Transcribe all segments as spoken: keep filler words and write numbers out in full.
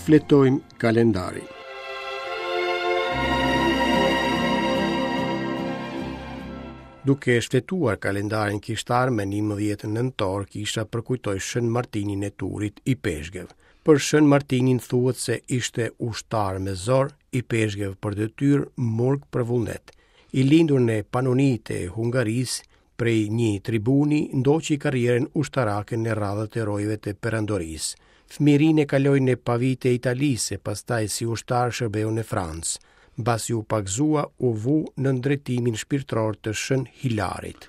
Shfletojmë kalendarin. Duke shfletuar kalendarin kishtar me njëmbëdhjetë nëntor, kisha përkujtoi Shën Martinin e Turit, ipeshkëv. Për Shën Martinin thuhet se ishte ushtar me zor, ipeshkëv për detyrë, murg për vullnet. I lindur në Panoni të Hungarisë, prej një tribuni ndoqi karrierën ushtarake në radhët e rojeve të perandorisë. Fëmijërinë e kaloi në Pavi të Italisë, pastaj si ushtar shërbeu në Francë. Mbasi u pagëzua, u vu nën drejtimin shpirtëror të Shën Hilarit.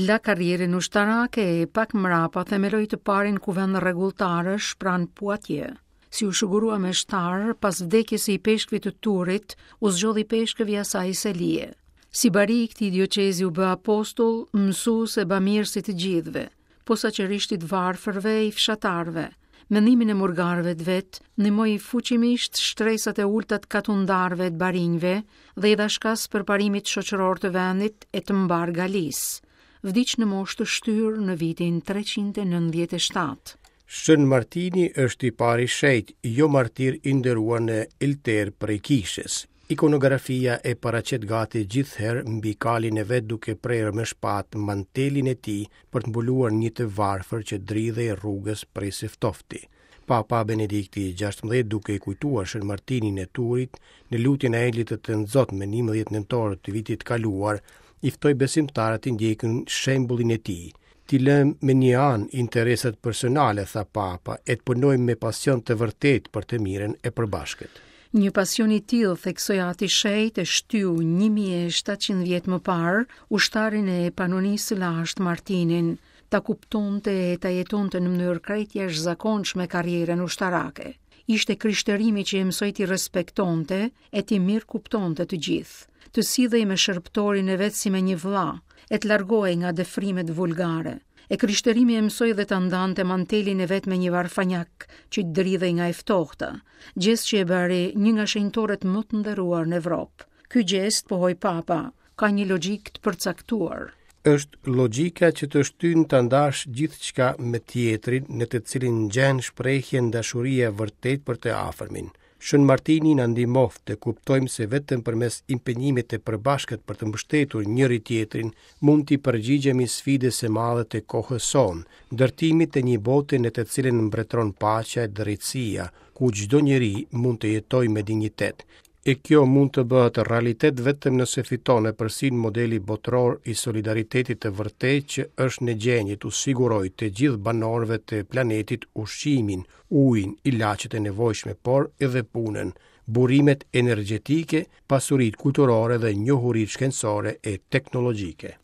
La karrierën ushtarake e pak mrapa themeloi të parin kuvend rregulltarësh pranë Poitiers. Si u shugurua me shtar, pas vdekjes së ipeshkvit të Turit, u zgjodh ipeshkëv i asaj selie. Si bari i këtij dioqezi u bë apostull, mësues e bamirës i të gjithëve, posaçërisht i të varfërve e i fshatarëve. Me ndihmën e murgarëve të vet, ndihmoi fuqimisht shtresat e ulta të katundarëve të barinjve dhe i dha shkas përparimit shoqëror të vendit e të mbar Galisë. Vdiq në moshë të shtyrë në vitin treqind e nëntëdhjetë e shtatë. Shën Martini është i pari shenjt, jo martir i nderuar në Elter prej kishës. Ikonografia e paraqet gati gjithherë mbi kalin e vet duke prerë me shpatë mantelin e tij për të mbuluar një të varfër që dridhej rrugës prej së ftofti. Papa Benedikti i gjashtëmbëdhjetë duke i kujtuar Shën Martinin e Turit në lutjen e Engjëllit të Tënzot me njëmbëdhjetë nëntor të vitit të kaluar, i ftoi besimtarët të ndjekin shembullin e tij. T'i lëmë me një anë interesat personale, tha Papa, e të punojmë me pasion të vërtetë për të mirën e përbashkët. Një pasion i tillë, theksoi Ati Shenjt, e shtyu një mijë e shtatëqind vjet më parë ushtarin e Panonisë së lashtë Martinin, ta kuptonte e ta jetonte në mënyrë krejt jashtëzakonshme karrierën ushtarake. Ishte krishtërimi që e mësoi t'i respektonte e t'i mirëkuptonte të gjithë, të sillej me shërbëtorin e vet si me një vëlla, e të largohej nga dëfrimet vulgare. E krishtërimi e mësoi dhe ta ndante mantelin e vet me një varfanjak që dridhej nga e ftohta, gjest që e bëri një nga shenjtorët më të nderuar në Evropë. Ky gjest, pohoi Papa, ka një logjikë të përcaktuar. Është logjika që të shtyn ta ndash gjithçka me tjetrin, në të cilin gjen shprehjen dashuria e vërtetë për të afërmin. Shën Martini na ndihmoft të kuptojmë se vetëm përmes impenjimit të përbashkët për të mbështetur njëri tjetrin mund t'i përgjigjemi sfidës së madhe të kohës sonë, ndërtimit të një bote në të cilën mbretëron paqja e drejtësia, ku çdo njeri mund të jetojë me dinjitet. E kjo mund të bëhet realitet vetëm nëse fiton epërsinë modeli botëror i solidaritetit të vërtetë që është në gjendje t'u sigurojë të gjithë banorëve të planetit ushqimin, ujin, ilaçet e nevojshme, por edhe punën, burimet energjetike, pasuritë kulturore dhe njohuritë shkencore e teknologjike.